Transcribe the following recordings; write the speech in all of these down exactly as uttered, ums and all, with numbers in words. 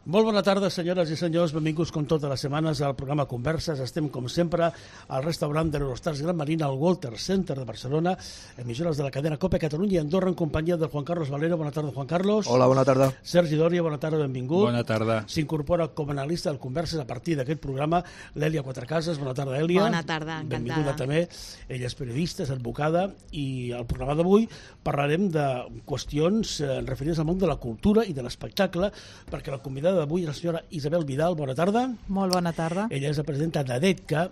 Molt bona tarda, senyores i senyors. Benvinguts com totes les setmanes al programa Converses. Estem, com sempre, al restaurant de l'Eurostars Gran Marina, al Walter Center de Barcelona, emissores de la cadena COPE Catalunya i Andorra, en companyia del Juan Carlos Valero. Bona tarda, Juan Carlos. Hola, bona tarda. Sergi Dòria, bona tarda, benvingut. Bona tarda. S'incorpora com a analista del Converses a partir d'aquest programa l'Èlia Quatrecases. Bona tarda, Èlia. Bona tarda, encantada. Benvinguda també. Ella és periodista, és advocada, i al programa d'avui parlarem de qüestions eh, referides al món de la cultura i de l'espectacle, perquè la convidada d'avui és la senyora Isabel Vidal. Bona tarda. Molt bona tarda. Ella és la presidenta d'ADETCA.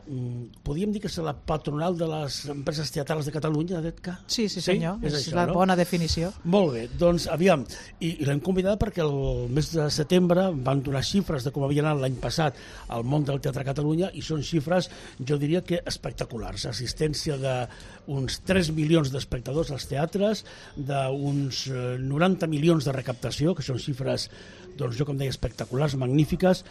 Podríem dir que és la patronal de les empreses teatrals de Catalunya, ADETCA? Sí, sí senyor, sí? És, és això, la no? bona definició. Molt bé, doncs aviam, i, i l'hem convidada perquè el mes de setembre van donar xifres de com havia anat l'any passat al món del teatre a Catalunya, i són xifres, jo diria que espectaculars. Assistència d'uns tres milions d'espectadors als teatres, d'uns noranta milions de recaptació, que són xifres, doncs jo com deia, espectaculars, magnífiques.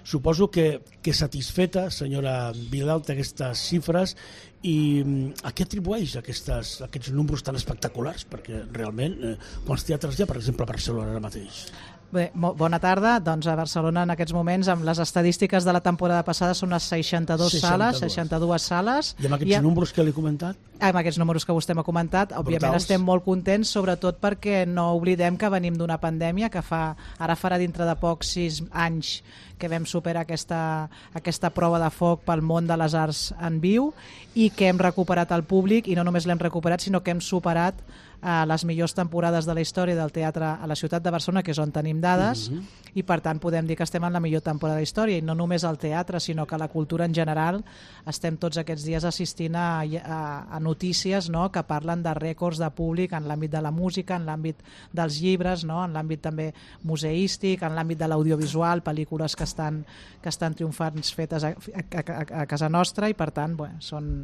Suposo que, que satisfeta, senyora Vidal, d'aquestes xifres, i a què atribueix aquestes, aquests números tan espectaculars? Perquè realment, eh, quants teatres hi ha, per exemple, a Barcelona ara mateix? Bé, bona tarda. Doncs a Barcelona en aquests moments, amb les estadístiques de la temporada passada, són unes seixanta-dues sales, seixanta-dues sales. I amb aquests I a... números que li he comentat? Amb aquests números que vostè m'ha comentat, òbviament Brutals. Estem molt contents, sobretot perquè no oblidem que venim d'una pandèmia que fa, ara farà dintre de pocs sis anys que vam superar aquesta, aquesta prova de foc pel món de les arts en viu, i que hem recuperat el públic, i no només l'hem recuperat, sinó que hem superat a les millors temporades de la història del teatre a la ciutat de Barcelona, que és on tenim dades, mm-hmm. i per tant podem dir que estem en la millor temporada de la història, i no només al teatre, sinó que la cultura en general. Estem tots aquests dies assistint a, a, a notícies, no?, que parlen de rècords de públic en l'àmbit de la música, en l'àmbit dels llibres, no?, en l'àmbit també museístic, en l'àmbit de l'audiovisual, pel·lícules que estan, que estan triomfant fetes a, a, a, a casa nostra, i per tant, bueno, són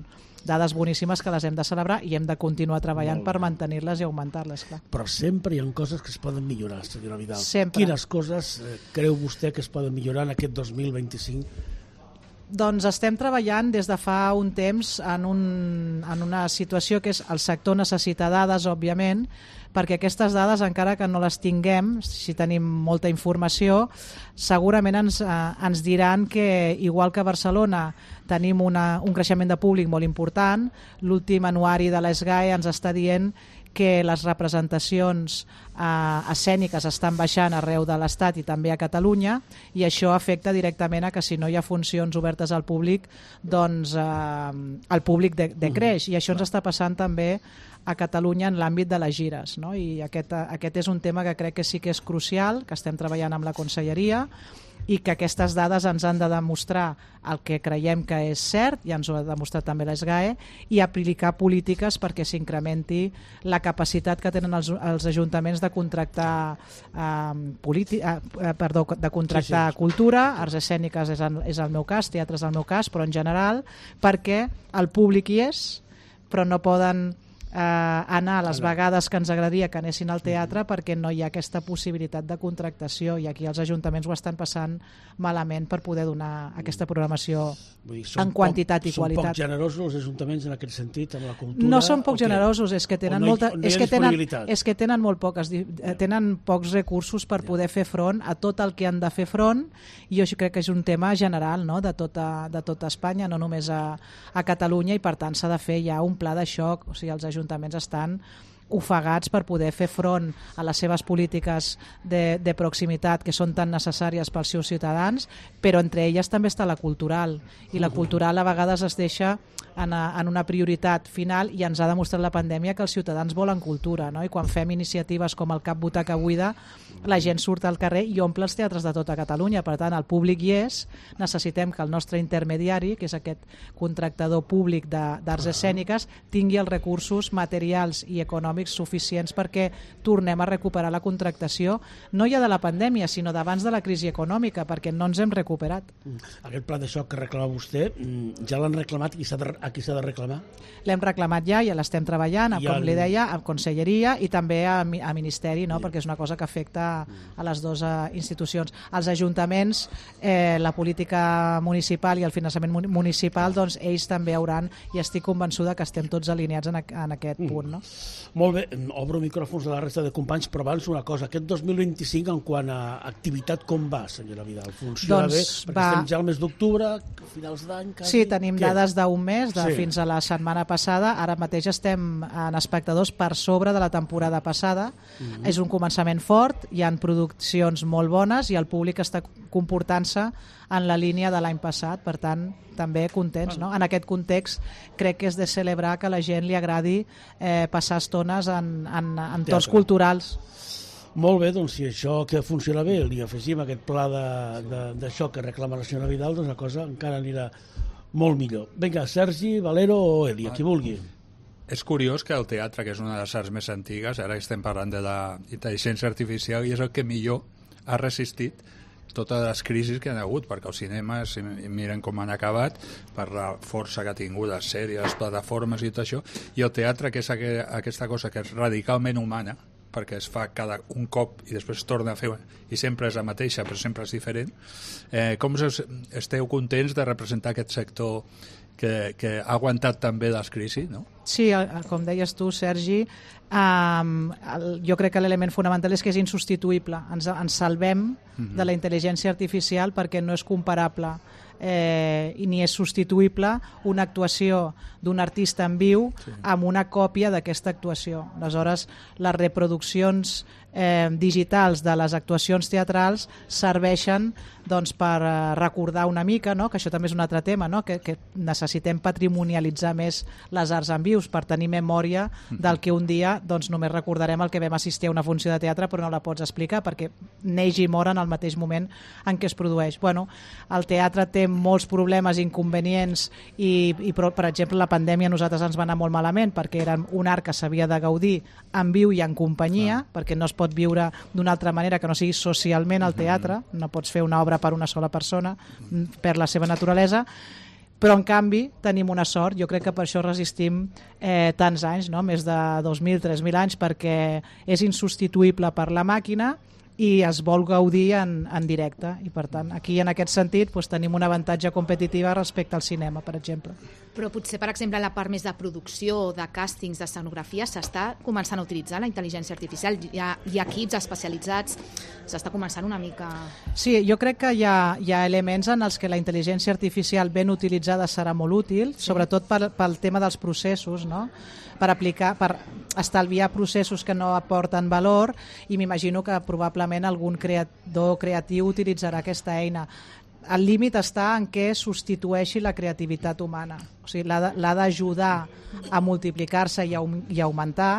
dades boníssimes que les hem de celebrar i hem de continuar treballant per mantenir-les i augmentar-les, clar. Però sempre hi ha coses que es poden millorar, senyora Vidal. Sempre. Quines coses eh, creu vostè que es poden millorar en aquest dos mil vint-i-cinc? Doncs estem treballant des de fa un temps en, un, en una situació que és el sector necessita dades, òbviament, perquè aquestes dades, encara que no les tinguem, si tenim molta informació, segurament ens, eh, ens diran que, igual que a Barcelona tenim una, un creixement de públic molt important, l'últim anuari de l'ESGAE ens està dient que les representacions eh, escèniques estan baixant arreu de l'Estat i també a Catalunya, i això afecta directament a que si no hi ha funcions obertes al públic, doncs eh, el públic decreix, i això ens està passant també a Catalunya en l'àmbit de les gires, no? I aquest, aquest és un tema que crec que sí que és crucial, que estem treballant amb la Conselleria, i que aquestes dades ens han de demostrar el que creiem que és cert, i ens ho ha demostrat també l'ESGAE, i aplicar polítiques perquè s'incrementi la capacitat que tenen els, els ajuntaments de contractar eh, politi- eh, perdó, de contractar sí, sí. cultura, arts escèniques és el, és el meu cas, teatre és el meu cas, però en general, perquè el públic hi és, però no poden Eh, anar a les vegades que ens agradaria que anessin al teatre, perquè no hi ha aquesta possibilitat de contractació, i aquí els ajuntaments ho estan passant malament per poder donar aquesta programació. Vull dir, en quantitat poc, i qualitat. Són poc generosos els ajuntaments en aquest sentit, amb la cultura? No són poc generosos, és que tenen, no hi, molta, no és que tenen, és que tenen molt poques, tenen pocs recursos per poder fer front a tot el que han de fer front, i jo crec que és un tema general, no?, de, tota, de tota Espanya, no només a, a Catalunya, i per tant s'ha de fer ja un pla de xoc. O sigui, els ajuntaments ajuntaments estan ofegats per poder fer front a les seves polítiques de, de proximitat, que són tan necessàries pels seus ciutadans, però entre elles també està la cultural, i la cultural a vegades es deixa en, a, en una prioritat final, i ens ha demostrat la pandèmia que els ciutadans volen cultura, no? I quan fem iniciatives com el Cap Butaca Buida, la gent surt al carrer i omple els teatres de tota Catalunya. Per tant, el públic hi és, necessitem que el nostre intermediari, que és aquest contractador públic d'arts escèniques, tingui els recursos materials i econòmics suficients perquè tornem a recuperar la contractació, no ja de la pandèmia, sinó d'abans de la crisi econòmica, perquè no ens hem recuperat. Aquest pla de xoc que reclama vostè, ja l'han reclamat i s'ha de a qui s'ha de reclamar? L'hem reclamat ja, ja l'estem treballant, com el... li deia, a Conselleria i també a, a Ministeri, no? Perquè és una cosa que afecta a les dues institucions. Els ajuntaments, eh, la política municipal i el finançament municipal, doncs ells també hauran, i estic convençuda que estem tots alineats en, a, en aquest punt. No? Molt Molt bé, obro micròfons de la resta de companys, però abans una cosa, aquest dos mil vint-i-cinc en quant a activitat com va, senyora Vidal? Funciona doncs bé? Perquè va... estem ja al mes d'octubre, finals d'any... Quasi... Sí, tenim Què? dades d'un mes, de Sí. fins a la setmana passada. Ara mateix estem en espectadors per sobre de la temporada passada. Mm-hmm. És un començament fort, hi han produccions molt bones i el públic està comportant-se en la línia de l'any passat, per tant, també contents. No? En aquest context, crec que és de celebrar que a la gent li agradi eh, passar estones en, en, en entorns culturals. Molt bé, doncs si això que funciona bé li afegim aquest pla d'això que reclama la senyora Vidal, doncs la cosa encara anirà molt millor. Vinga, Sergi, Valero o Elia, qui vulgui. És curiós que el teatre, que és una de les arts més antigues, ara estem parlant de la intel·ligència artificial, i és el que millor ha resistit totes les crisis que han hagut, perquè els cinemes, si miren com han acabat, per la força que ha tingut les sèries, les plataformes i tot això, i el teatre, que és aquesta cosa que és radicalment humana, perquè es fa cada un cop i després es torna a fer, i sempre és la mateixa, però sempre és diferent. Eh, com us esteu contents de representar aquest sector que, que ha aguantat també les crisis, no? Sí, com deies tu, Sergi, um, el, jo crec que l'element fonamental és que és insubstituïble. Ens, ens salvem mm-hmm. de la intel·ligència artificial perquè no és comparable eh, i ni és substituïble una actuació d'un artista en viu sí. amb una còpia d'aquesta actuació. Aleshores, les reproduccions eh, digitals de les actuacions teatrals serveixen doncs, per eh, recordar una mica, no? Que això també és un altre tema, no? que, que necessitem patrimonialitzar més les arts en vius per tenir memòria del que un dia doncs, només recordarem el que vam assistir a una funció de teatre però no la pots explicar perquè neix i mor en el mateix moment en què es produeix. Bueno, el teatre té molts problemes, inconvenients i, i per, per exemple la pandèmia a nosaltres ens va anar molt malament perquè era un art que s'havia de gaudir en viu i en companyia, ah. perquè no es pot viure d'una altra manera que no sigui socialment al teatre, no pots fer una obra per una sola persona, per la seva naturalesa, però en canvi tenim una sort, jo crec que per això resistim eh, tants anys, no? Més de dos mil, tres mil anys, perquè és insubstituïble per la màquina i es vol gaudir en, en directe i per tant aquí en aquest sentit doncs, tenim un avantatge competitiu respecte al cinema, per exemple. Però potser, per exemple, la part més de producció, de càstings, d'escenografia, s'està començant a utilitzar la intel·ligència artificial. Hi ha, hi ha equips especialitzats, s'està començant una mica... Sí, jo crec que hi ha, hi ha elements en els que la intel·ligència artificial ben utilitzada serà molt útil, sí. sobretot pel, pel tema dels processos, no? per aplicar, per estalviar processos que no aporten valor i m'imagino que probablement algun creador creatiu utilitzarà aquesta eina. El límit està en què substitueixi la creativitat humana. O sigui, l'ha d'ajudar a multiplicar-se i, a, i a augmentar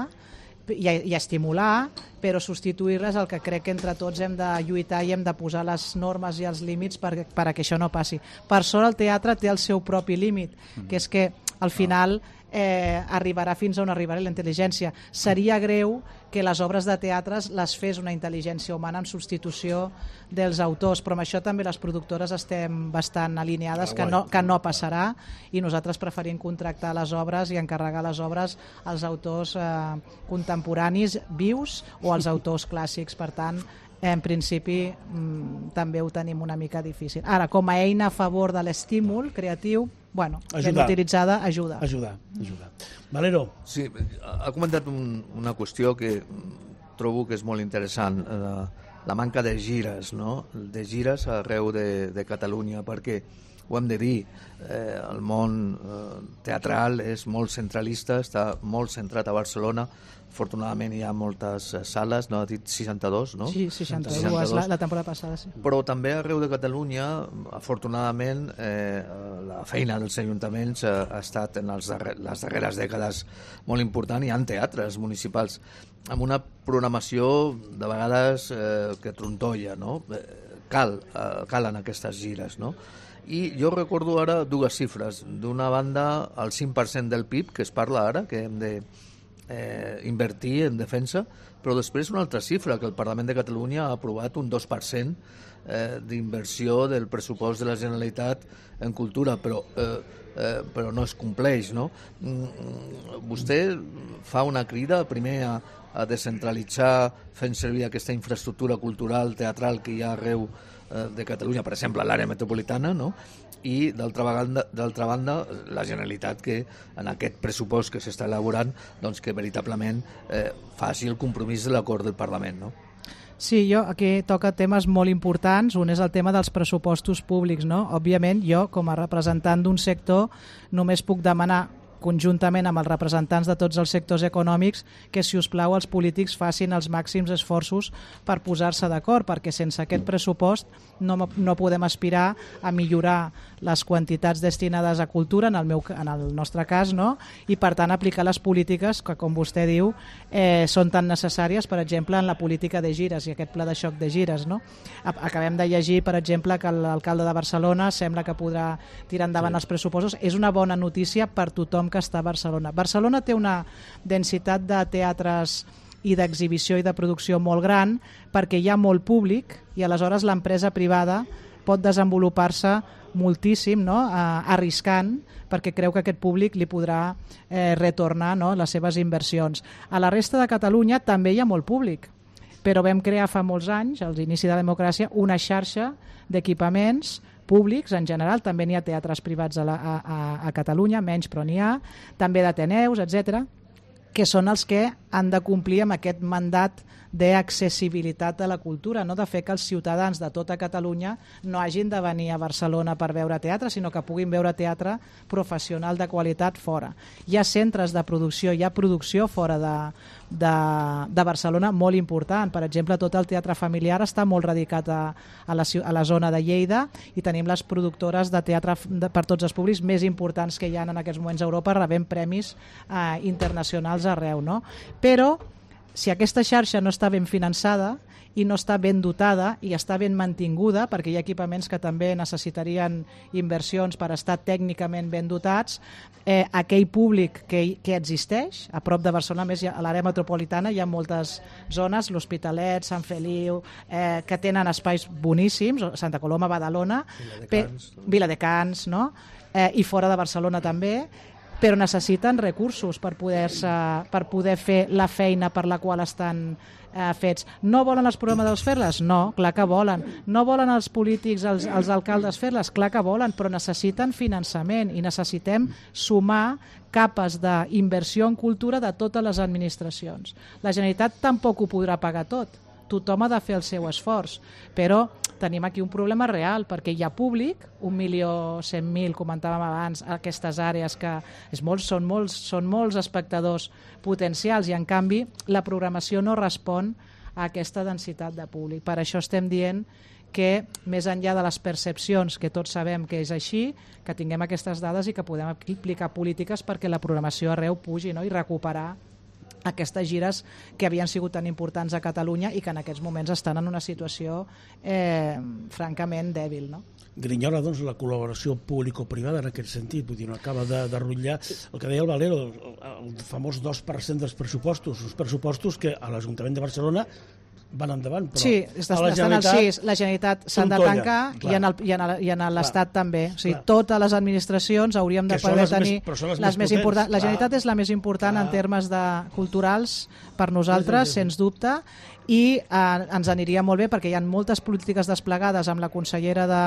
i a, i a estimular, però substituir-la és el que crec que entre tots hem de lluitar i hem de posar les normes i els límits per, per a que això no passi. Per sort el teatre té el seu propi límit, que és que al final eh, arribarà fins on arribarà la intel·ligència. Seria greu que les obres de teatres les fes una intel·ligència humana en substitució dels autors, però amb això també les productores estem bastant alineades que no, que no passarà i nosaltres preferim contractar les obres i encarregar les obres als autors eh, contemporanis vius o als autors clàssics. Per tant, en principi mmm, també ho tenim una mica difícil. Ara, com a eina a favor de l'estímul creatiu, bueno, ben utilitzada, ajuda. Ajuda, ajuda. Valero. Sí, ha comentat un, una qüestió que trobo que és molt interessant, la, la manca de gires, no? De gires arreu de, de Catalunya, perquè ho hem de dir, eh, el món eh, teatral és molt centralista, està molt centrat a Barcelona. Afortunadament hi ha moltes sales, no? Ha dit seixanta-dos, no? Sí, seixanta-dos, la, la temporada passada, sí. Però també arreu de Catalunya, afortunadament, eh, la feina dels ajuntaments eh, ha estat en els darrer, les darreres dècades molt important. Hi ha teatres municipals amb una programació de vegades eh, que trontolla, no? Cal, eh, calen aquestes gires, no? I jo recordo ara dues xifres. D'una banda, el cinc per cent del P I B, que es parla ara, que hem de eh, invertir en defensa, però després una altra xifra, que el Parlament de Catalunya ha aprovat un dos per cent eh, d'inversió del pressupost de la Generalitat en cultura, però, eh, eh, però no es compleix, no? Vostè fa una crida primer a, a descentralitzar fent servir aquesta infraestructura cultural, teatral que hi ha arreu de Catalunya, per exemple, a l'àrea metropolitana, no? i d'altra banda, d'altra banda la Generalitat, que en aquest pressupost que s'està elaborant, doncs que veritablement eh, faci el compromís de l'acord del Parlament, no? Sí, jo aquí toca temes molt importants. Un és el tema dels pressupostos públics, no? Òbviament, jo, com a representant d'un sector, només puc demanar conjuntament amb els representants de tots els sectors econòmics que, si us plau, els polítics facin els màxims esforços per posar-se d'acord, perquè sense aquest pressupost no, no podem aspirar a millorar les quantitats destinades a cultura, en el, meu, en el nostre cas, no? I per tant aplicar les polítiques que, com vostè diu, eh, són tan necessàries, per exemple, en la política de gires i aquest pla de xoc de gires, no? Acabem de llegir, per exemple, que l'alcalde de Barcelona sembla que podrà tirar endavant sí. els pressupostos. És una bona notícia per tothom que està a Barcelona. Barcelona té una densitat de teatres i d'exhibició i de producció molt gran perquè hi ha molt públic i aleshores l'empresa privada pot desenvolupar-se moltíssim, no? eh, arriscant, perquè creu que aquest públic li podrà eh, retornar, no? les seves inversions. A la resta de Catalunya també hi ha molt públic, però vam crear fa molts anys, als inicis de la democràcia, una xarxa d'equipaments públics en general, també n'hi ha teatres privats a, la, a, a Catalunya, menys però n'hi ha, també d'Ateneus, etcètera, que són els que han de complir amb aquest mandat d'accessibilitat a la cultura, no de fer que els ciutadans de tota Catalunya no hagin de venir a Barcelona per veure teatre, sinó que puguin veure teatre professional de qualitat fora. Hi ha centres de producció, hi ha producció fora de, de, de Barcelona molt important. Per exemple, tot el teatre familiar està molt radicat a, a, la, a la zona de Lleida i tenim les productores de teatre de, per tots els públics més importants que hi ha en aquests moments a Europa, rebent premis eh, internacionals arreu, no? Però si aquesta xarxa no està ben finançada i no està ben dotada i està ben mantinguda, perquè hi ha equipaments que també necessitarien inversions per estar tècnicament ben dotats, eh, aquell públic que, que existeix, a prop de Barcelona, més a l'àrea metropolitana hi ha moltes zones, l'Hospitalet, Sant Feliu, eh, que tenen espais boníssims, Santa Coloma, Badalona, Viladecans, pe- Viladecans no? eh, i fora de Barcelona també, però necessiten recursos per poder-se, per poder fer la feina per la qual estan eh, fets. No volen els programadors fer-les? No, clar que volen. No volen els polítics, els, els alcaldes fer-les? Clar que volen, però necessiten finançament i necessitem sumar capes d'inversió en cultura de totes les administracions. La Generalitat tampoc ho podrà pagar tot. Tothom ha de fer el seu esforç, però tenim aquí un problema real, perquè hi ha públic, un milió cent mil, comentàvem abans, aquestes àrees que és molt, són, molts, són molts espectadors potencials i en canvi la programació no respon a aquesta densitat de públic. Per això estem dient que més enllà de les percepcions, que tots sabem que és així, que tinguem aquestes dades i que podem aplicar polítiques perquè la programació arreu pugi, no? I recuperar aquestes gires que havien sigut tan importants a Catalunya i que en aquests moments estan en una situació eh, francament dèbil, no? Grinyola, doncs, la col·laboració público-privada en aquest sentit, vull dir, no acaba de, de rotllar el que deia el Valero, el, el famós dos per cent dels pressupostos, uns pressupostos que a l'Ajuntament de Barcelona van endavant, però sí, està, a la estan al sis, la Generalitat s'han de tancar i en, el, i en, el, i en l'Estat també. O sigui, totes les administracions hauríem de poder tenir més, les, les més importants. La Generalitat és la més important clar. En termes de culturals per nosaltres, sí, sí, sí. Sens dubte, i eh, ens aniria molt bé perquè hi ha moltes polítiques desplegades amb la consellera de,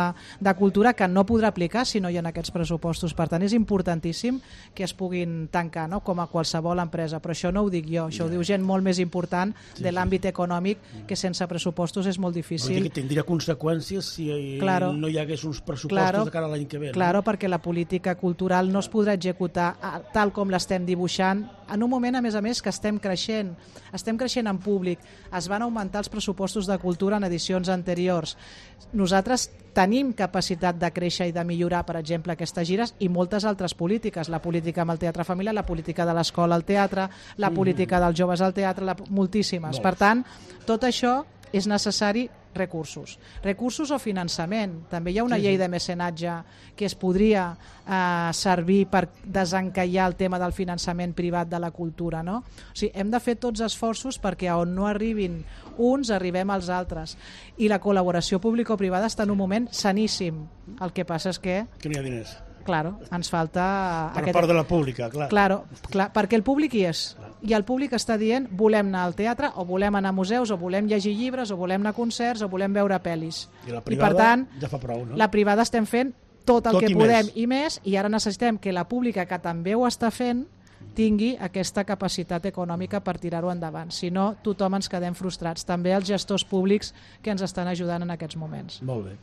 de Cultura que no podrà aplicar si no hi ha aquests pressupostos. Per tant, és importantíssim que es puguin tancar, no? Com a qualsevol empresa, però això no ho dic jo, això ho diu gent molt més important sí, de l'àmbit econòmic, que sense pressupostos és molt difícil. Que tindria conseqüències si claro, no hi hagués uns pressupostos claro, de cara a l'any que ve. No? Claro, perquè la política cultural no es podrà executar tal com l'estem dibuixant en un moment, a més a més, que estem creixent. Estem creixent en públic. Es van augmentar els pressupostos de cultura en edicions anteriors. Nosaltres tenim capacitat de créixer i de millorar, per exemple, aquestes gires i moltes altres polítiques. La política amb el teatre familiar, la política de l'escola al teatre, la política dels joves al teatre, la... moltíssimes. Per tant, tot això és necessari recursos. Recursos o finançament. També hi ha una sí, llei de mecenatge que es podria eh, servir per desencallar el tema del finançament privat de la cultura, no? O sigui, hem de fer tots esforços perquè on no arribin uns, arribem als altres. I la col·laboració público-privada està en un moment saníssim. El que passa és que... Que no hi ha diners. Claro, ens falta... Per aquest... part de la pública, clar. Claro, clar, perquè el públic hi és. I el públic està dient volem anar al teatre, o volem anar a museus, o volem llegir llibres, o volem anar a concerts, o volem veure pel·lis. I la privada I per tant, ja fa prou, no? La privada estem fent tot el tot que i podem més. i més, i ara necessitem que la pública, que també ho està fent, tingui aquesta capacitat econòmica per tirar-ho endavant. Si no, tothom ens quedem frustrats. També els gestors públics que ens estan ajudant en aquests moments. Molt bé.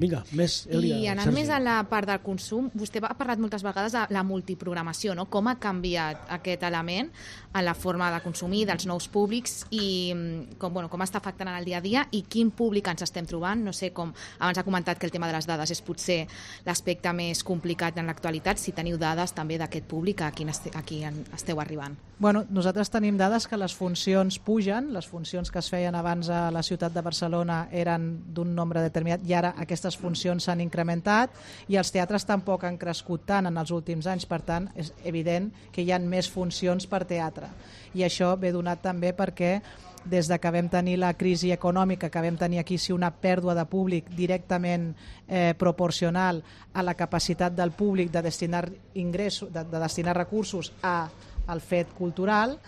Vinga, més, Elia. I anant Sergi. més a la part del consum, vostè ha parlat moltes vegades de la multiprogramació, no? Com ha canviat aquest element en la forma de consumir dels nous públics i com, bueno, com està afectant en el dia a dia i quin públic ens estem trobant. No sé, com abans ha comentat que el tema de les dades és potser l'aspecte més complicat en l'actualitat, si teniu dades també d'aquest públic a qui, este, a qui esteu arribant. Bueno, nosaltres tenim dades que les funcions pugen, les funcions que es feien abans a la ciutat de Barcelona eren d'un nombre determinat i ara aquestes funcions s'han incrementat i els teatres tampoc han crescut tant en els últims anys, per tant és evident que hi ha més funcions per teatre i això ve donat també perquè des de que vam tenir la crisi econòmica, que vam tenir aquí sí una pèrdua de públic directament eh, proporcional a la capacitat del públic de destinar ingressos, de, de destinar recursos a, al fet cultural,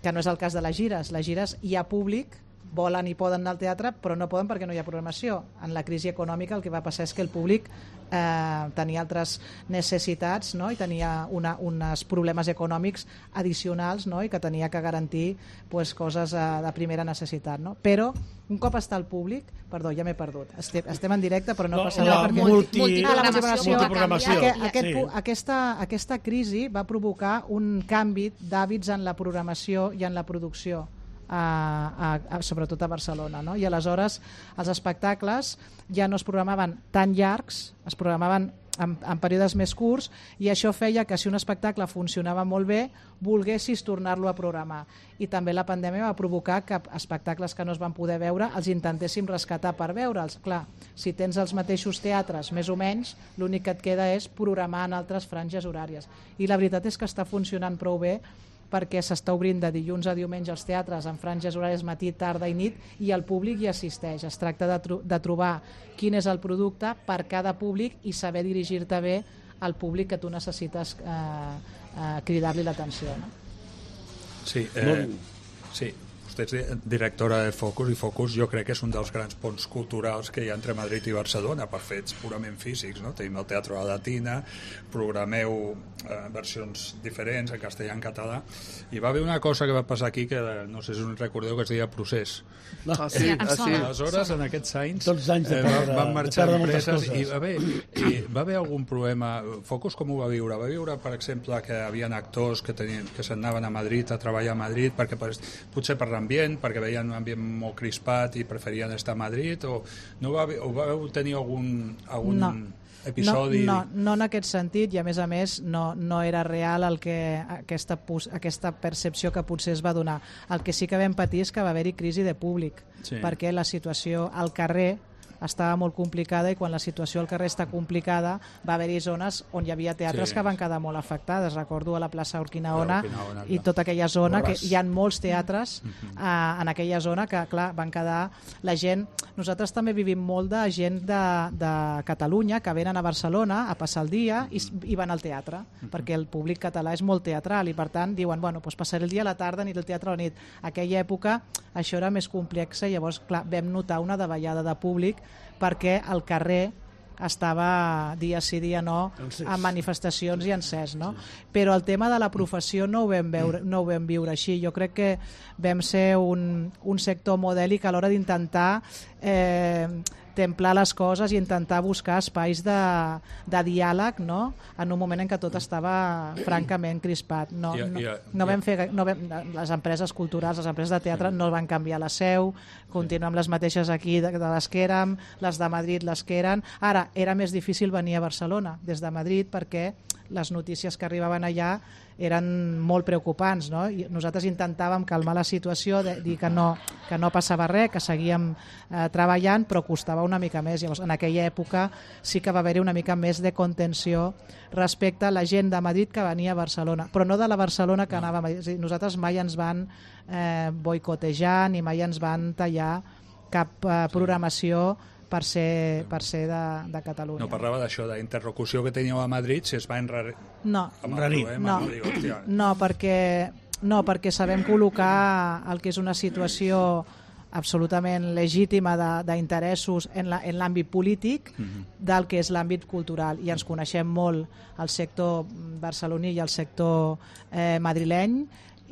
que no és el cas de les gires. Les gires hi ha públic, volen i poden anar al teatre, però no poden perquè no hi ha programació. En la crisi econòmica el que va passar és que el públic eh, tenia altres necessitats, no? I tenia una, uns problemes econòmics addicionals, no? I que tenia que garantir pues, coses eh, de primera necessitat. No? Però un cop està el públic, perdó, ja m'he perdut, estem, estem en directe però no, no passa res perquè... Multi, multi, ah, la multiprogramació. multiprogramació. Aquest, aquest, Sí. aquesta, aquesta crisi va provocar un canvi d'hàbits en la programació i en la producció. A, a, a, sobretot a Barcelona, no? I aleshores els espectacles ja no es programaven tan llargs, es programaven en, en períodes més curts i això feia que si un espectacle funcionava molt bé volguessis tornar-lo a programar i també la pandèmia va provocar que espectacles que no es van poder veure els intentéssim rescatar per veure'ls. Clar, si tens els mateixos teatres més o menys, l'únic que et queda és programar en altres franges horàries i la veritat és que està funcionant prou bé perquè s'està obrint de dilluns a diumenge els teatres en franges horàries matí, tarda i nit i el públic hi assisteix. Es tracta de, tro de trobar quin és el producte per cada públic i saber dirigir-te bé al públic que tu necessites eh, eh, cridar-li l'atenció. No? Sí, eh, sí, vostè és directora de Focus i Focus jo crec que és un dels grans ponts culturals que hi ha entre Madrid i Barcelona per fets purament físics, no? Tenim el Teatre a la Latina, programeu eh, versions diferents en castellà i en català i va haver una cosa que va passar aquí que no sé si us recordeu que es deia Procés. No. Ah, sí, em ah, sí. sona. Aleshores, en aquests anys, Tots anys de eh, perdre- van de marxar perdre moltes empreses coses. i va haver, i va haver algun problema. Focus com ho va viure? Va viure, per exemple, que hi havia actors que tenien que s'anaven a Madrid a treballar a Madrid perquè potser per l'ambient, perquè veien un ambient molt crispat i preferien estar a Madrid o no va, o vau tenir algun, algun No. episodi? No, no, no en aquest sentit i a més a més no, no era real el que, aquesta, aquesta percepció que potser es va donar. El que sí que vam patir és que va haver-hi crisi de públic Sí. perquè la situació al carrer estava molt complicada i quan la situació al carrer està complicada va haver-hi zones on hi havia teatres Sí. que van quedar molt afectades. Recordo a la plaça Urquinaona Urquinaona, i clar. tota aquella zona que Borràs. hi ha molts teatres eh, en aquella zona que clar, van quedar la gent. Nosaltres també vivim molt de gent de, de Catalunya que venen a Barcelona a passar el dia i, i van al teatre perquè el públic català és molt teatral i per tant diuen, bueno, doncs passaré el dia a la tarda ni el teatre a la nit. Aquella època això era més complex i llavors clar, vam notar una davallada de públic perquè el carrer estava dia sí dia no Encès. en manifestacions i encès, no? Però el tema de la professió no ho vam veure, no ho vam viure així. Jo crec que vam ser un, un sector modèlic a l'hora d'intentar eh, templar les coses i intentar buscar espais de, de diàleg, no? En un moment en què tot estava francament crispat. No, I- no, i- no vam fer, no vam, les empreses culturals, les empreses de teatre no van canviar la seu, continuem les mateixes aquí de, de les que érem, les de Madrid les que eren. Ara, era més difícil venir a Barcelona des de Madrid perquè les notícies que arribaven allà eren molt preocupants, no? I nosaltres intentàvem calmar la situació, de dir que no, que no passava res, que seguíem eh, treballant, però costava una mica més. Llavors, en aquella època sí que va haver-hi una mica més de contenció respecte a la gent de Madrid que venia a Barcelona, però no de la Barcelona que anava a Madrid. És a dir, nosaltres mai ens van eh, boicotejar ni mai ens van tallar cap eh, programació per ser, per ser de, de Catalunya. No parlava d'això, d'interlocució que teníeu a Madrid, si es va enrarir No, amb el Enrarir. problema. No. No, dic, hòstia, no, perquè, no, perquè sabem col·locar el que és una situació absolutament legítima d'interessos en l'àmbit polític del que és l'àmbit cultural, i ens coneixem molt el sector barceloní i el sector eh, madrileny,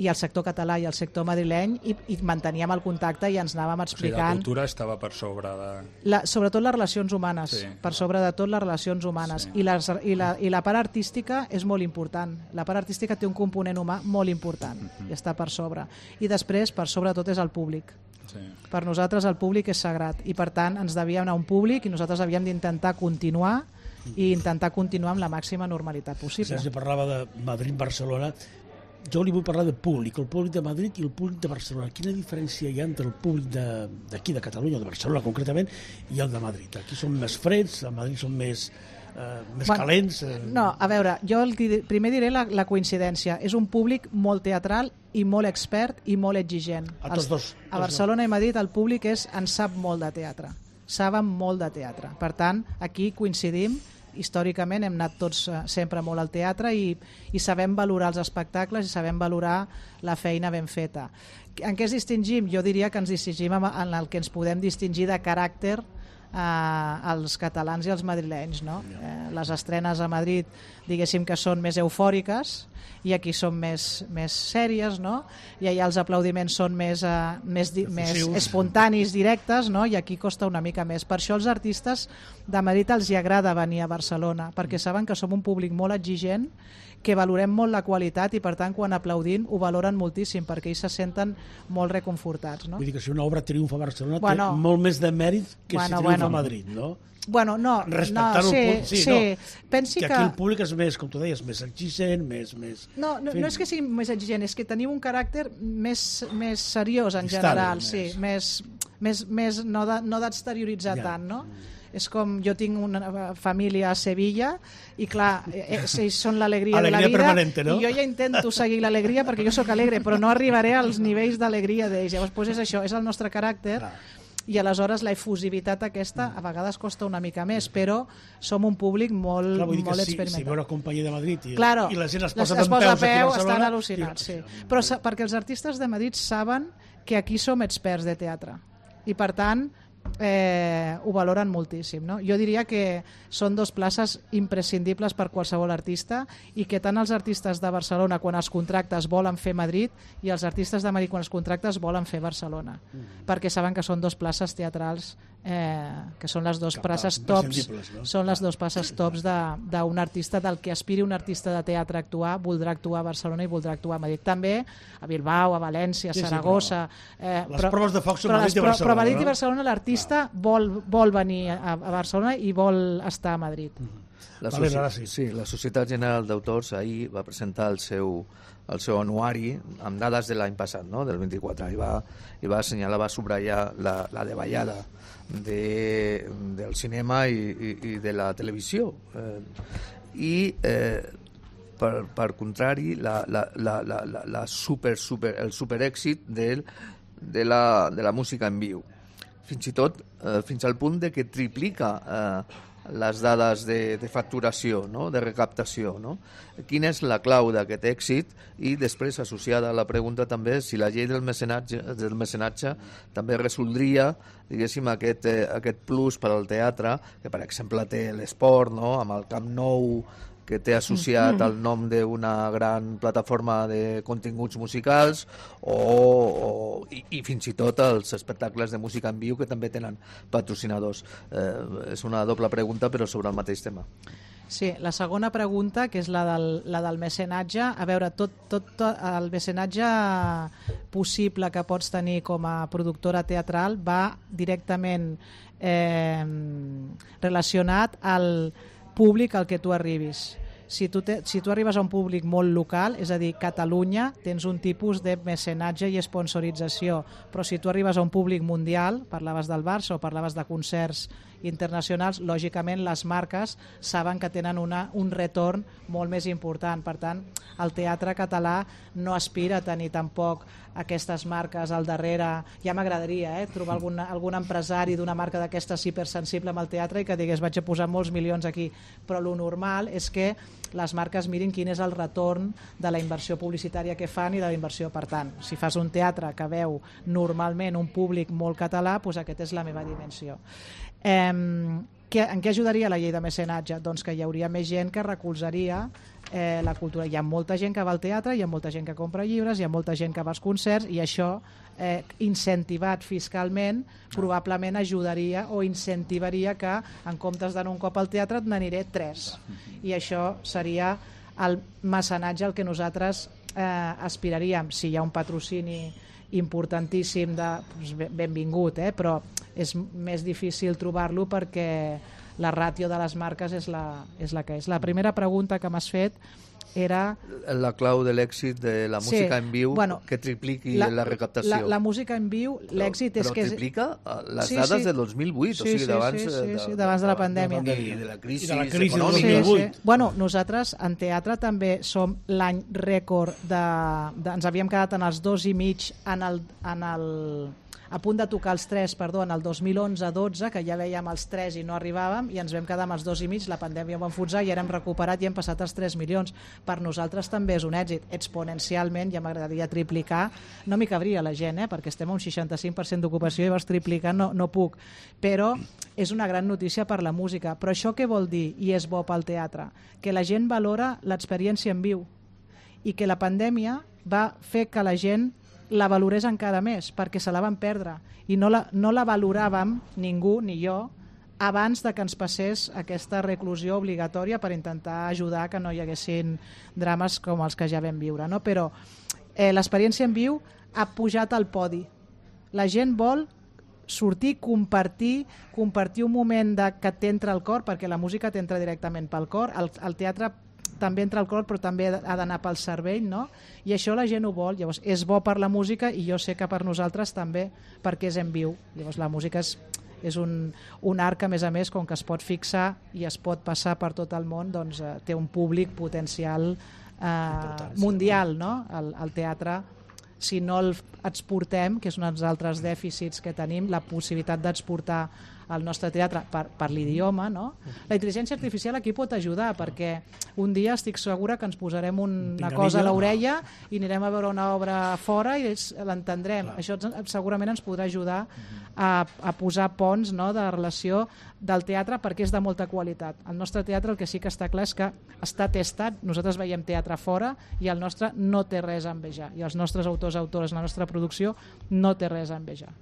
i el sector català i el sector madrileny, i, i manteníem el contacte i ens anàvem explicant... O sigui, la cultura estava per sobre de... La, sobretot les relacions humanes, sí. per sobre de tot les relacions humanes. Sí. I, les, i, la, I la part artística és molt important. La part artística té un component humà molt important, mm-hmm. i està per sobre. I després, per sobre de tot, és el públic. Sí. Per nosaltres el públic és sagrat, i per tant ens devia anar un públic i nosaltres havíem d'intentar continuar i intentar continuar amb la màxima normalitat possible. Sergi parlava de Madrid-Barcelona. Jo li vull parlar del públic, el públic de Madrid i el públic de Barcelona. Quina diferència hi ha entre el públic d'aquí, de, de Catalunya, de Barcelona concretament, i el de Madrid? Aquí són més freds, a Madrid són més, eh, més bueno, calents... Eh... No, a veure, jo el, primer diré la, la coincidència. És un públic molt teatral i molt expert i molt exigent. A tots dos. A Barcelona i Madrid el públic és, en sap molt de teatre. Saben molt de teatre. Per tant, aquí coincidim. Històricament hem anat tots sempre molt al teatre i, i sabem valorar els espectacles i sabem valorar la feina ben feta. En què ens distingim? Jo diria que ens distingim en el que ens podem distingir de caràcter eh, els catalans i els madrilenys, no? Eh, les estrenes a Madrid, diguéssim que són més eufòriques, i aquí són més, més sèries, no? I allà els aplaudiments són més, uh, més, di més espontanis, directes, no? I aquí costa una mica més. Per això els artistes de Madrid els hi agrada venir a Barcelona, perquè saben que som un públic molt exigent, que valorem molt la qualitat i per tant quan aplaudim ho valoren moltíssim perquè ells se senten molt reconfortats, no? Vull dir que si una obra triomfa a Barcelona bueno, té molt més de mèrit que bueno, si triomfa bueno. a Madrid, no? Bueno, no, respectant no, sí, el punt, sí, sí. No. Pensi que que aquí el públic és més, com tu deies, més exigent, més... més... No, no, no és que sigui més exigent, és que tenim un caràcter més, més seriós en Distant, general, més. sí, més, més, més no de, no d'exterioritzar ja. tant, no? És com, jo tinc una família a Sevilla i clar, ells són l'alegria de la vida, no? I jo ja intento seguir l'alegria perquè jo sóc alegre, però no arribaré als nivells d'alegria d'ells. Llavors, doncs és això, és el nostre caràcter. Clar. I aleshores la efusivitat aquesta a vegades costa una mica més, però som un públic molt, clar, molt si, experimentat. Si veu una companyia de Madrid i, claro, i la gent es posa es d'en peus a peu, aquí a Barcelona... Estan al·lucinats, sí. Però perquè els artistes de Madrid saben que aquí som experts de teatre i per tant eh, ho valoren moltíssim, no? Jo diria que són dos places imprescindibles per qualsevol artista i que tant els artistes de Barcelona quan els contractes volen fer Madrid i els artistes de Madrid quan els contractes volen fer Barcelona, mm. perquè saben que són dos places teatrals eh, que són les dues places tops, no? Són les dues places tops d'un artista, del que aspiri un artista de teatre a actuar, voldrà actuar a Barcelona i voldrà actuar a Madrid. També a Bilbao, a València, a sí, Saragossa... Sí, però, eh, les però, proves de foc són Madrid i Barcelona. Però a Madrid i Barcelona l'artista vol, vol venir a, a Barcelona i vol estar a Madrid. La, vale, soci... sí, la Societat General d'Autors ahir va presentar el seu, el seu anuari amb dades de l'any passat, no? Del vint-i-quatre, i va, i va assenyalar, va subratllar la, la davallada de, del cinema i, i, i de la televisió. Eh, I eh, per, per contrari, la, la, la, la, la super, super, el superèxit del, de, la, de la música en viu. Fins i tot, eh, fins al punt de que triplica eh, les dades de, de facturació, no? De recaptació, no? Quina és la clau d'aquest èxit? I després, associada a la pregunta també, si la llei del mecenatge, del mecenatge també resoldria, diguéssim, aquest, eh, aquest plus per al teatre, que per exemple té l'esport, no? Amb el Camp Nou, que té associat el nom d'una gran plataforma de continguts musicals o, o, i, i fins i tot els espectacles de música en viu que també tenen patrocinadors. Eh, és una doble pregunta però sobre el mateix tema. Sí, la segona pregunta, que és la del, la del mecenatge, a veure, tot, tot, tot el mecenatge possible que pots tenir com a productora teatral va directament eh, relacionat al públic al que tu arribis. Si tu, te, si tu arribes a un públic molt local, és a dir, Catalunya, tens un tipus de mecenatge i sponsorització, però si tu arribes a un públic mundial, parlaves del Barça o parlaves de concerts internacionals, lògicament les marques saben que tenen una, un retorn molt més important. Per tant, el teatre català no aspira a tenir tampoc aquestes marques al darrere. Ja m'agradaria eh, trobar algun, algun empresari d'una marca d'aquestes hipersensible amb el teatre i que digués vaig a posar molts milions aquí, però lo normal és que les marques mirin quin és el retorn de la inversió publicitària que fan i de la inversió. Per tant, si fas un teatre que veu normalment un públic molt català, doncs aquesta és la meva dimensió. Eh, que, en què ajudaria la llei de mecenatge? Doncs que hi hauria més gent que recolzaria eh, la cultura. Hi ha molta gent que va al teatre, hi ha molta gent que compra llibres, hi ha molta gent que va als concerts i això, eh, incentivat fiscalment, probablement ajudaria o incentivaria que en comptes d'anar un cop al teatre n'aniré tres. I això seria el mecenatge al que nosaltres eh, aspiraríem. Si hi ha un patrocini importantíssim, de, doncs benvingut, eh? Però és més difícil trobar-lo perquè la ràtio de les marques és la, és la que és. La primera pregunta que m'has fet era... La clau de l'èxit de la música sí, en viu, bueno, que tripliqui la, la recaptació. La, la música en viu, l'èxit és però que... Però triplica les sí, dades sí. del dos mil vuit, sí, o sigui, d'abans sí, sí, de, sí, d'abans de la pandèmia. De, de, de la crisi, I de la crisi econòmica. del dos mil vuit. Sí, sí. Bueno, nosaltres en teatre també som l'any rècord de, de... Ens havíem quedat en els dos i mig en el... En el a punt de tocar els tres, perdó, en el dos mil onze dotze, que ja veiem els tres i no arribàvem, i ens vam quedar amb els dos i mig, la pandèmia ho va enfonsar i ara hem recuperat i hem passat els tres milions. Per nosaltres també és un èxit. Exponencialment, ja m'agradaria triplicar, no m'hi cabria la gent, eh, perquè estem a un seixanta-cinc per cent d'ocupació i vols triplicar, no, no puc. Però és una gran notícia per la música. Però això què vol dir, i és bo pel teatre? Que la gent valora l'experiència en viu i que la pandèmia va fer que la gent la valorés encara més, perquè se la van perdre i no la, no la valoràvem ningú, ni jo, abans de que ens passés aquesta reclusió obligatòria per intentar ajudar que no hi haguessin drames com els que ja vam viure, no? Però eh, l'experiència en viu ha pujat al podi. La gent vol sortir, compartir, compartir un moment de, que t'entra al cor, perquè la música t'entra directament pel cor, el, el teatre també entra al cor, però també ha d'anar pel cervell, no? I això la gent ho vol. Llavors, és bo per la música i jo sé que per nosaltres també, perquè és en viu. Llavors, la música és, és un, un art que, a més a més, com que es pot fixar i es pot passar per tot el món, doncs eh, té un públic potencial eh, mundial, no? El, el teatre, si no el exportem, que és un dels altres dèficits que tenim, la possibilitat d'exportar el nostre teatre per, per l'idioma, no? La intel·ligència artificial aquí pot ajudar, perquè un dia estic segura que ens posarem una Pinganilla. cosa a l'orella i anirem a veure una obra fora i l'entendrem. Això segurament ens podrà ajudar a, a posar ponts, no?, de relació del teatre, perquè és de molta qualitat. El nostre teatre, el que sí que està clar és que està testat. Nosaltres veiem teatre fora i el nostre no té res a envejar, i els nostres autors i autores, la nostra producció no té res a envejar.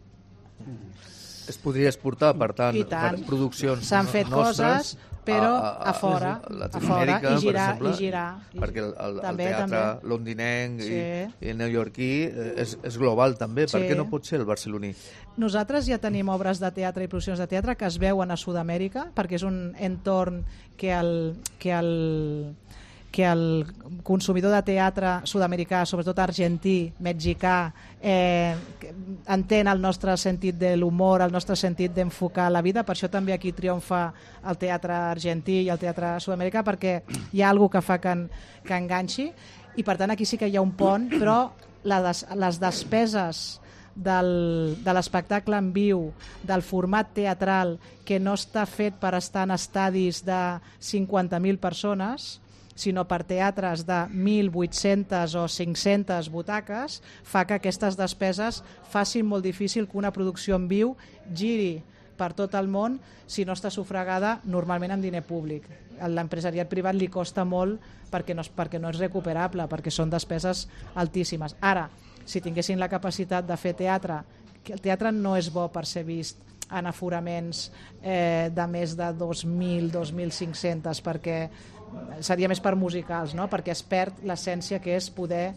Es podria exportar, per tant, tant. per produccions s'han fet nostres, coses, però a, a, a fora, a, a fora, i girar, per exemple, i girar. Perquè el, el, també, el teatre també. londinenc sí. i, i el neoyorquí és, és global també, sí. Per què no pot ser el barceloní? Nosaltres ja tenim obres de teatre i produccions de teatre que es veuen a Sud-amèrica, perquè és un entorn que el, que el que el consumidor de teatre sud-americà, sobretot argentí, mexicà, eh, entén el nostre sentit de l'humor, el nostre sentit d'enfocar la vida. Per això també aquí triomfa el teatre argentí i el teatre sud-americà, perquè hi ha alguna que fa que, en, que enganxi, i per tant aquí sí que hi ha un pont, però la des, les despeses del, de l'espectacle en viu, del format teatral, que no està fet per estar en estadis de cinquanta mil persones, sinó per teatres de mil vuit-centes o cinc-centes butaques, fa que aquestes despeses facin molt difícil que una producció en viu giri per tot el món si no està sufragada normalment amb diner públic. A l'empresariat privat li costa molt perquè no, perquè no és recuperable, perquè són despeses altíssimes. Ara, si tinguessin la capacitat de fer teatre, que el teatre no és bo per ser vist en aforaments eh, de més de dos mil, dos mil cinc-cents, perquè seria més per musicals, no? Perquè es perd l'essència que és poder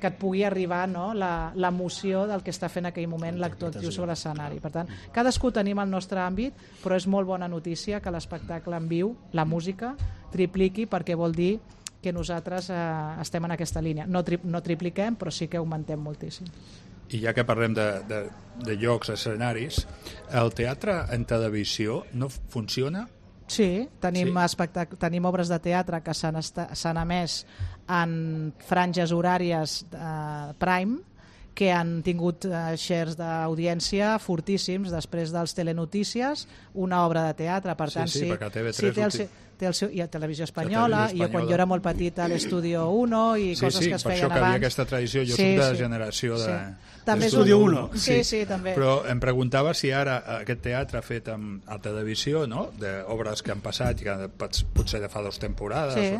que et pugui arribar, no?, l'emoció del que està fent en aquell moment l'actor actiu sobre l'escenari. Per tant, cadascú tenim el nostre àmbit, però és molt bona notícia que l'espectacle en viu, la música, tripliqui, perquè vol dir que nosaltres eh, estem en aquesta línia. No, tri no tripliquem, però sí que augmentem moltíssim. i ja que parlem de, de, de llocs, escenaris, el teatre en televisió no funciona? Sí, tenim, Sí. espectac- tenim obres de teatre que s'han esta- s'han emès en franges horàries eh, prime, que han tingut eh, shares d'audiència fortíssims després dels telenotícies, una obra de teatre, per Sí, tant, sí, sí, perquè a T V tres sí, té el, ulti- seu- té el seu, i a Televisió Espanyola, Televisió i jo quan Espanyola. jo era molt petit a l'Estudio uno i Sí, coses sí, que es per feien això que abans. havia aquesta tradició. Jo soc de la generació de... També és d'Estudio un- uno. Sí, sí, també. Però em preguntava si ara aquest teatre fet amb, a televisió, no?, d'obres que han passat i que pots- potser de fa dues temporades, Sí.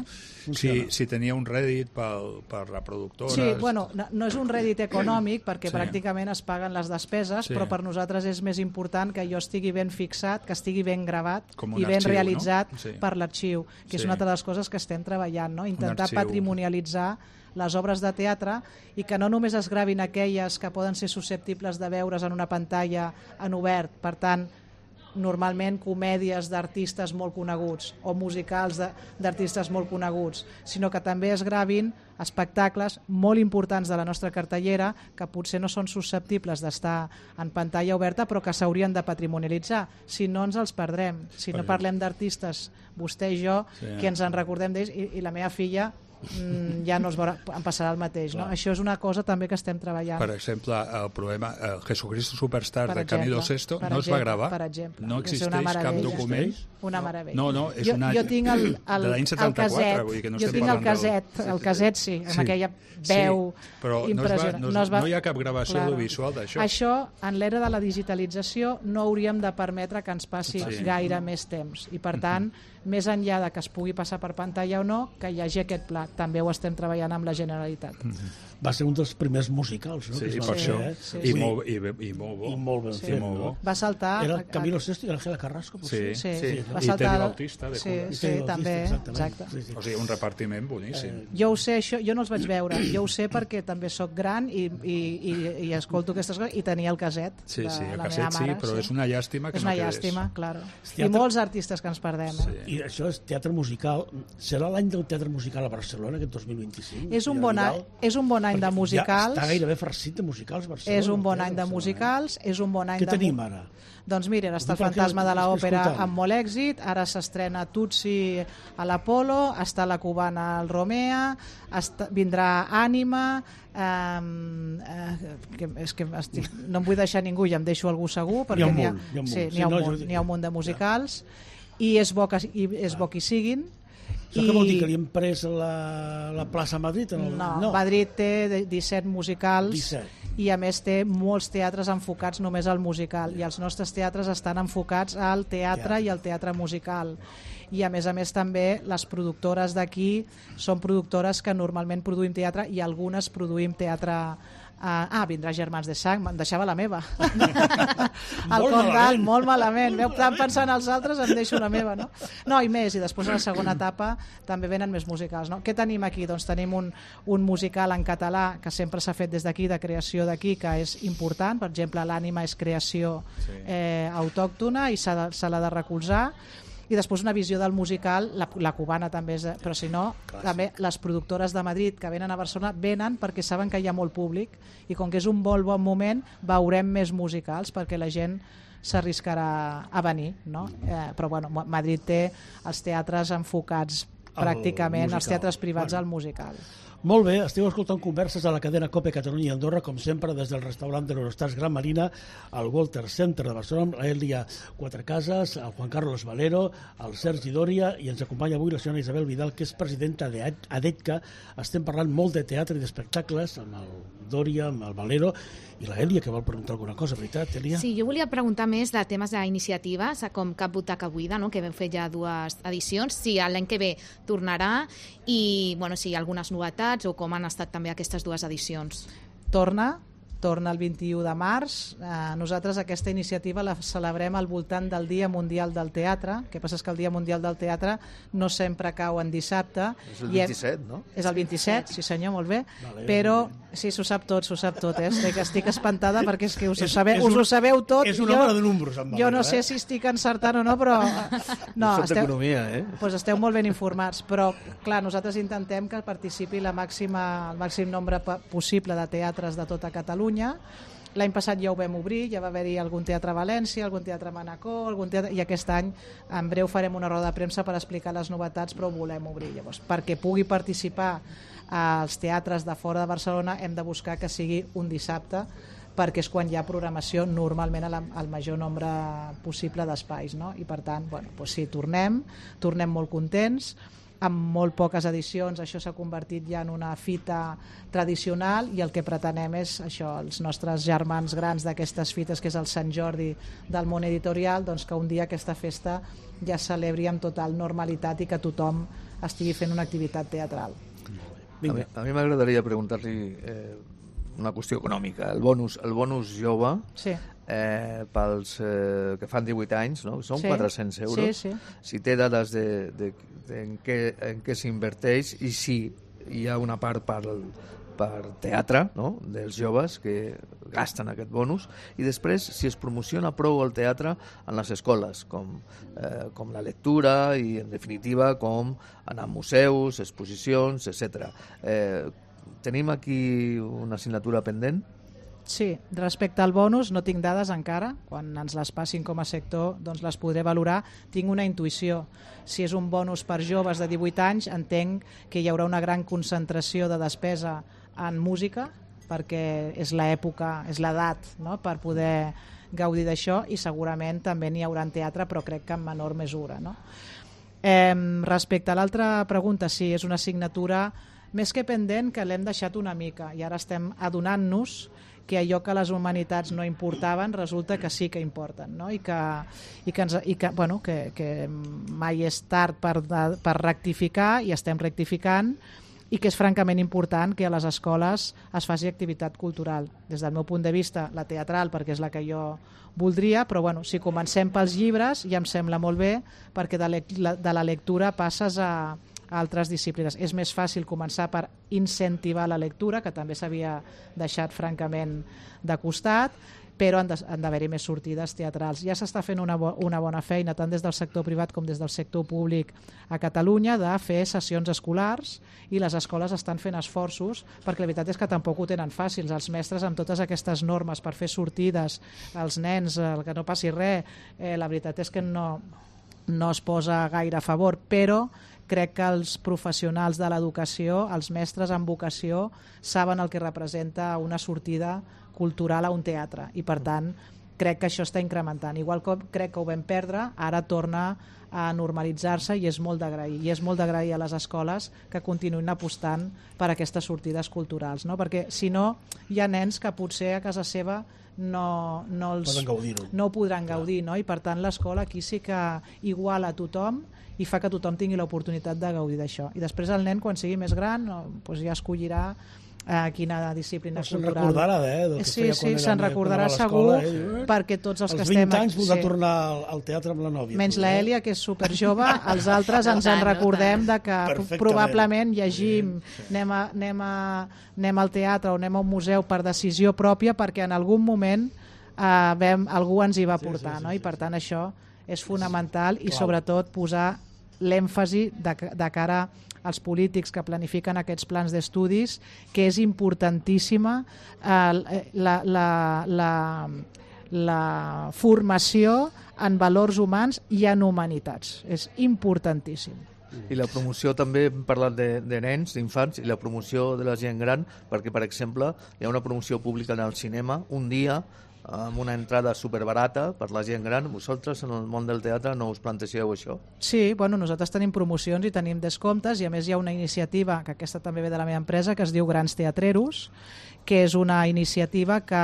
o, si, si tenia un rèdit pel, per la productora... Sí, bueno, no, no és un rèdit econòmic perquè Sí. pràcticament es paguen les despeses, Sí. però per nosaltres és més important que jo estigui ben fixat, que estigui ben gravat Com un i ben arxiu, realitzat no? Sí. per l'arxiu, que Sí. és una altra de les coses que estem treballant, no? Intentar arxiu. patrimonialitzar les obres de teatre i que no només es gravin aquelles que poden ser susceptibles de veure's en una pantalla en obert, per tant, normalment comèdies d'artistes molt coneguts o musicals de- d'artistes molt coneguts, sinó que també es gravin espectacles molt importants de la nostra cartellera que potser no són susceptibles d'estar en pantalla oberta però que s'haurien de patrimonialitzar, si no ens els perdrem. Si no parlem d'artistes, vostè i jo, Sí. que ens en recordem d'ells, i, i la meva filla mm, ja no es veurà, em passarà el mateix. No? Això és una cosa també que estem treballant. Per exemple, el problema el Jesucristo Superstar Per de Camilo exemple, Sesto per no es va exemple, gravar? per exemple. No És una existeix cap meravella. document? Una meravella. No, no, és jo, una... jo tinc el, el, de l'any el setanta-quatre, caset, vull dir que no jo estem tinc el parlant del- caset, el caset sí, amb Sí. aquella veu Sí, però no es va- impressionant. no es- no hi ha cap gravació Claro. audiovisual d'això. Això, en l'era de la digitalització, no hauríem de permetre que ens passi Sí. gaire més temps. I, per tant, més enllà de que es pugui passar per pantalla o no, que hi hagi aquest pla. També ho estem treballant amb la Generalitat. Va ser un dels primers musicals, no? Sí, que es i van per fer, això. eh? sí, I, sí. molt, i, bé- i molt bo. I molt ben Sí, fet, molt no? bo. Va saltar... Era a- Camilo Sesto i Ángela Carrasco, potser? Sí. Sí, Sí. va I saltar... Teddy Bautista, de sí, Cuba. sí, Teddy també, Bautista, exacte. exactament. Sí, sí. O sigui, un repartiment boníssim. Jo ho sé, això, jo no els vaig veure, jo ho sé perquè també sóc gran i, i, i, i escolto aquestes coses i tenia el caset Sí, de sí, el la caset meva sí, mare. però és una llàstima que és no una quedés. llàstima, claro. I Teatre- molts artistes que ens perdem. Eh? I això és teatre musical. Serà l'any del teatre musical a Barcelona, aquest dos mil vint-i-cinc? És un Ja bon any, Vidal? és un bon any de Perquè musicals. Ja està gairebé farcit de musicals, Barcelona. És un bon el any de teatre, musicals, és un bon any Què de... tenim mu- ara? Doncs mira, ara està el Ho dic perquè Fantasma de l'estic l'Òpera escoltant. amb molt èxit, ara s'estrena Tutsi a l'Apolo, està la cubana al Romea, està, vindrà Ànima, eh, eh, que, és que estic, no em vull deixar ningú i em deixo algú segur, perquè N'hi n'hi ha ha, un munt, n'hi ha un sí, munt. n'hi ha Sí, un no, munt, jo- n'hi ha un munt de musicals, i és bo que, i és bo que hi siguin. Això què vol dir, que li hem pres la, la plaça a Madrid? En el... No, Madrid té de- disset musicals disset. i a més té molts teatres enfocats només al musical i els nostres teatres estan enfocats al teatre, Teatre. i al teatre musical. I a més a més també les productores d'aquí són productores que normalment produïm teatre i algunes produïm teatre. Uh, ah, vindrà Germans de Sang, me'n deixava la meva. El Molt Condal, malament. molt malament. Veu, tant pensant els altres, em deixo la meva, no? No, i més, i després a la segona etapa també venen més musicals, no? Què tenim aquí? Doncs tenim un, un musical en català que sempre s'ha fet des d'aquí, de creació d'aquí, que és important. Per exemple, l'Ànima és creació eh, autòctona i s'ha de- se l'ha de recolzar. I després una visió del musical, la, la cubana també és, però si no, també les productores de Madrid que venen a Barcelona venen perquè saben que hi ha molt públic i com que és un molt bon moment veurem més musicals perquè la gent s'arriscarà a venir, no? Eh, però bueno, Madrid té els teatres enfocats Al pràcticament, els musical. teatres privats Bueno. al musical. Molt bé, esteu escoltant converses a la cadena COPE Catalunya i Andorra, com sempre, des del restaurant de l'Eurostars Gran Marina, al Walter Center de Barcelona, amb l'Èlia Quatrecases, el Juan Carlos Valero, el Sergi Dòria, i ens acompanya avui la senyora Isabel Vidal, que és presidenta d'ADETCA. Estem parlant molt de teatre i d'espectacles, amb el Dòria, amb el Valero, i l'Èlia, que vol preguntar alguna cosa, veritat, Èlia? Sí, jo volia preguntar més de temes d'iniciatives, com Cap Butaca Buida, no? Que vam fer ja dues edicions, si l'any que ve tornarà i bueno, si hi ha algunes novetats o com han estat també aquestes dues edicions. Torna, torna el vint-i-u de març. Eh, nosaltres aquesta iniciativa la celebrem al voltant del Dia Mundial del Teatre. El que passa és que el Dia Mundial del Teatre no sempre cau en dissabte. És el I hem- vint-i-set, no? És el vint-i-set, sí senyor, molt bé. Vale, Però sí, s'ho sap tot, s'ho sap tot. Eh? Estic, estic espantada perquè és que us, ho, És- sabeu, és us un- ho sabeu tot. és un Jo- home de números, en Jo Valero, no sé eh? si estic encertant o no, però... No, Soc esteu, d'economia, eh? pues esteu molt ben informats, però clar, nosaltres intentem que participi la màxima, el màxim nombre pa- possible de teatres de tota Catalunya. Catalunya. L'any passat ja ho vam obrir, ja va haver-hi algun teatre a València, algun teatre a Manacor, algun teatre... i aquest any en breu farem una roda de premsa per explicar les novetats, però ho volem obrir. Llavors, perquè pugui participar als teatres de fora de Barcelona hem de buscar que sigui un dissabte, perquè és quan hi ha programació normalment al major nombre possible d'espais, no? I per tant, bueno, doncs sí, tornem, tornem molt contents, amb molt poques edicions això s'ha convertit ja en una fita tradicional i el que pretenem és això, els nostres germans grans d'aquestes fites, que és el Sant Jordi del món editorial, doncs que un dia aquesta festa ja es celebri amb total normalitat i que tothom estigui fent una activitat teatral. A mi, a mi m'agradaria preguntar-li eh, una qüestió econòmica. El bonus, el bonus jove, sí. eh, pels eh, que fan divuit anys, no? Són sí. quatre-cents euros. Sí, sí. Si té dades de, de, de en què, en què s'inverteix i si hi ha una part per, per teatre, no? Dels joves que gasten aquest bonus, i després si es promociona prou el teatre en les escoles, com, eh, com la lectura i, en definitiva, com anar a museus, exposicions, etcètera. Eh, tenim aquí una assignatura pendent? Sí, respecte al bonus no tinc dades encara, quan ens les passin com a sector doncs les podré valorar. Tinc una intuïció, si és un bonus per joves de divuit anys entenc que hi haurà una gran concentració de despesa en música, perquè és l'època, és l'edat, no?, per poder gaudir d'això, i segurament també n'hi haurà en teatre, però crec que en menor mesura, no? Eh, respecte a l'altra pregunta, sí, és una assignatura més que pendent, que l'hem deixat una mica, i ara estem adonant-nos que allò que les humanitats no importaven resulta que sí que importen, no? I que, i que, ens, i que, bueno, que, que mai és tard per, per rectificar, i estem rectificant, i que és francament important que a les escoles es faci activitat cultural. Des del meu punt de vista, la teatral, perquè és la que jo voldria, però bueno, si comencem pels llibres ja em sembla molt bé, perquè de, le de la lectura passes a, a altres disciplines. És més fàcil començar per incentivar la lectura, que també s'havia deixat francament de costat, però han d'haver-hi més sortides teatrals. Ja s'està fent una, bo una bona feina, tant des del sector privat com des del sector públic a Catalunya, de fer sessions escolars, i les escoles estan fent esforços, perquè la veritat és que tampoc ho tenen fàcils. Els mestres, amb totes aquestes normes per fer sortides als nens, el que no passi res, eh, la veritat és que no, no es posa gaire a favor, però crec que els professionals de l'educació, els mestres amb vocació, saben el que representa una sortida cultural a un teatre, i per tant crec que això està incrementant. Igual que crec que ho vam perdre, ara torna a normalitzar-se, i és molt d'agrair. I és molt d'agrair a les escoles que continuïn apostant per aquestes sortides culturals, no? Perquè si no, hi ha nens que potser a casa seva no, no, els, no ho podran gaudir, no? I per tant l'escola aquí sí que iguala a tothom i fa que tothom tingui l'oportunitat de gaudir d'això. I després el nen, quan sigui més gran, doncs ja escollirà a quina disciplina se'n cultural. Se'n recordarà, eh? Del que sí, feia sí, se'n recordarà segur, eh? Perquè tots els, els que estem... Els vint anys voldrà sí. tornar al, al teatre amb la nòvia. Menys la Èlia, que és superjove, els altres ens en recordem de que probablement llegim, anem, a, anem, a, anem al teatre o anem a un museu per decisió pròpia, perquè en algun moment eh, vam, algú ens hi va portar, sí, sí, sí, no? I per tant això és fonamental, i sobretot posar l'èmfasi de, de cara als polítics que planifiquen aquests plans d'estudis, que és importantíssima eh, la, la, la, la formació en valors humans i en humanitats. És importantíssim. I la promoció, també hem parlat de, de nens, d'infants, i la promoció de la gent gran, perquè, per exemple, hi ha una promoció pública en el cinema, un dia, amb una entrada superbarata per la gent gran. Vosaltres en el món del teatre no us plantegeu això? Sí, bueno, nosaltres tenim promocions i tenim descomptes, i a més hi ha una iniciativa, que aquesta també ve de la meva empresa, que es diu Grans Teatreros, que és una iniciativa que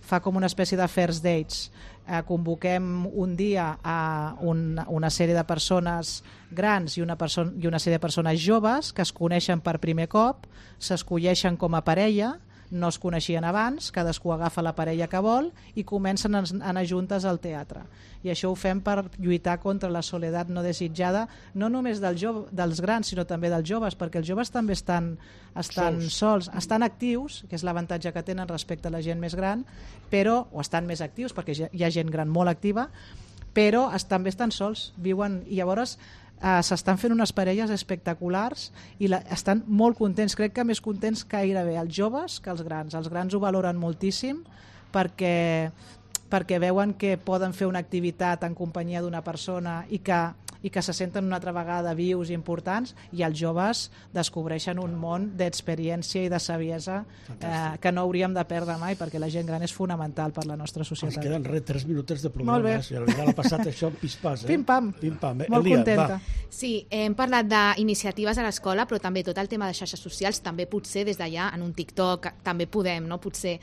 fa com una espècie de first dates. Eh, convoquem un dia a una, una sèrie de persones grans i una, i una sèrie de persones joves que es coneixen per primer cop, s'escolleixen com a parella, no es coneixien abans, cadascú agafa la parella que vol i comencen a anar juntes al teatre. I això ho fem per lluitar contra la soledat no desitjada, no només del jove, dels grans, sinó també dels joves, perquè els joves també estan, estan sols. sols, estan actius, que és l'avantatge que tenen respecte a la gent més gran, però, o estan més actius, perquè hi ha gent gran molt activa, però es, també estan sols, viuen, i llavors Uh, s'estan fent unes parelles espectaculars i la, estan molt contents, crec que més contents que gairebé els joves que els grans. Els grans ho valoren moltíssim perquè, perquè veuen que poden fer una activitat en companyia d'una persona i que, i que se senten una altra vegada vius i importants, i els joves descobreixen un món d'experiència i de saviesa eh, que no hauríem de perdre mai, perquè la gent gran és fonamental per la nostra societat. Ens queden res, tres minutets de programa. Senyora Vidal, ha passat això en pis-pas. Eh? Pim-pam. Pim-pam. Eh? Molt Elia, contenta. va. Sí, hem parlat d'iniciatives a l'escola, però també tot el tema de xarxes socials, també potser des d'allà, en un TikTok, també podem, no? Potser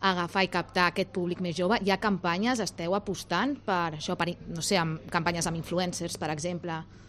agafar i captar aquest públic més jove. Hi ha campanyes, esteu apostant per això, per, no sé, amb campanyes amb influencers, per exemple.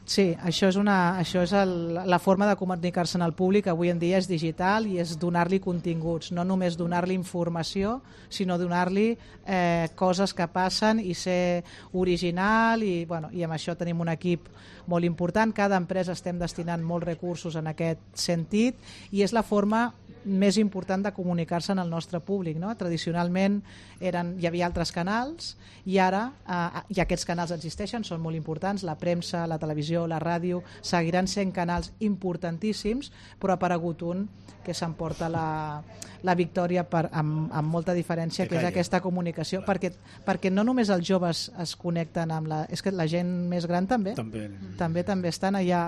Sí, això és, una, això és el, la forma de comunicar-se en el públic avui en dia és digital i és donar-li continguts, no només donar-li informació, sinó donar-li eh, coses que passen i ser original i, bueno, i amb això tenim un equip molt important. Cada empresa estem destinant molts recursos en aquest sentit i és la forma més important de comunicar-se en el nostre públic, no? Tradicionalment eren, hi havia altres canals i ara, eh, i aquests canals existeixen, són molt importants, la premsa, la televisió, la ràdio, seguiran sent canals importantíssims, però ha aparegut un que s'emporta la, la victòria per, amb, amb molta diferència, que és aquesta comunicació, perquè, perquè no només els joves es connecten amb la... És que la gent més gran també, també, també, també estan allà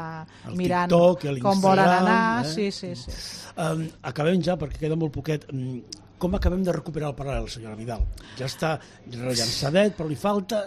el mirant TikTok, com volen anar. Eh? Sí, sí, sí. Um, acabem ja, perquè queda molt poquet. Com acabem de recuperar el Paral·lel, senyora Vidal? Ja està rellançadet, però li falta...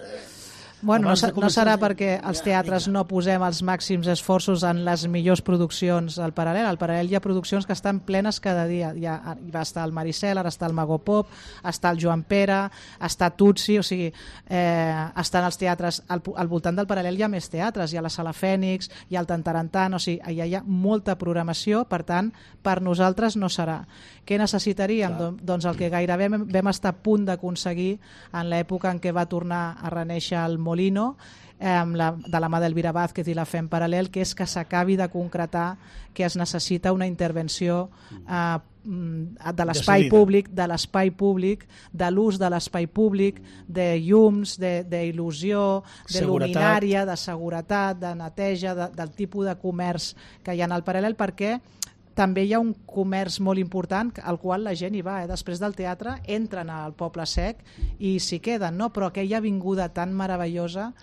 Bueno, no, no serà perquè els teatres no posem els màxims esforços en les millors produccions al Paral·lel. Al Paral·lel hi ha produccions que estan plenes cada dia. Hi, ha, hi va estar el Maricel, ara està el Mago Pop, està el Joan Pere, està Tutsi, o sigui, eh, estan els teatres... Al, al voltant del Paral·lel hi ha més teatres, hi ha la Sala Fènix, hi ha el Tantarantan, o sigui, allà hi ha molta programació, per tant, per nosaltres no serà. Què necessitaríem? Clar. Doncs el que gairebé vam estar a punt d'aconseguir en l'època en què va tornar a reneixer el Molino, eh, la, de la mà d'Elvira Vázquez i la Fem Paral·lel, que és que s'acabi de concretar que es necessita una intervenció eh, de l'espai públic, de l'espai públic, de l'ús de l'espai públic, de llums, d'il·lusió, de, de luminària, de seguretat, de neteja, de, del tipus de comerç que hi ha al Paral·lel, perquè també hi ha un comerç molt important al qual la gent hi va, eh? Després del teatre entren al Poble Sec i s'hi queden, no? Però aquella avinguda tan meravellosa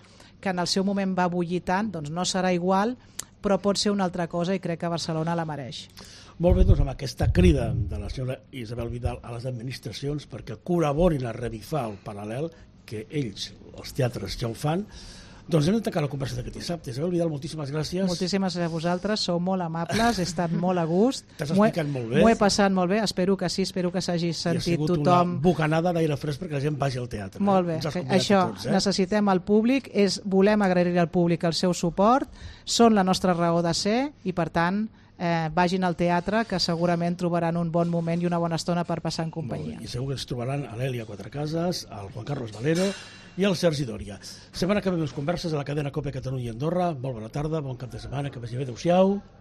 que en el seu moment va bullir tant, doncs no serà igual, però pot ser una altra cosa i crec que Barcelona la mereix. Molt bé, doncs amb aquesta crida de la senyora Isabel Vidal a les administracions perquè col·laborin a revifar el Paral·lel, que ells, els teatres, ja ho fan. Doncs hem de tancar la conversa d'aquest dissabte. Isabel Vidal, moltíssimes gràcies. Moltíssimes gràcies a vosaltres, sou molt amables, he estat molt a gust. T'has explicat molt bé. M'ho he passat molt bé, espero que sí, espero que s'hagi sentit tothom. I ha sigut una bocanada d'aire fresc perquè la gent vagi al teatre. Molt bé, això, tots, eh? Necessitem el públic, és, volem agrair al públic el seu suport, són la nostra raó de ser i per tant eh, vagin al teatre que segurament trobaran un bon moment i una bona estona per passar en companyia. I segur que ens trobaran a l'Èlia Quatrecases, al Juan Carlos Valero i el Sergi Dòria. Setmana que ve més converses a la cadena Cope Catalunya i Andorra. Molt bona tarda, bon cap de setmana, que vagi bé, adéu-siau.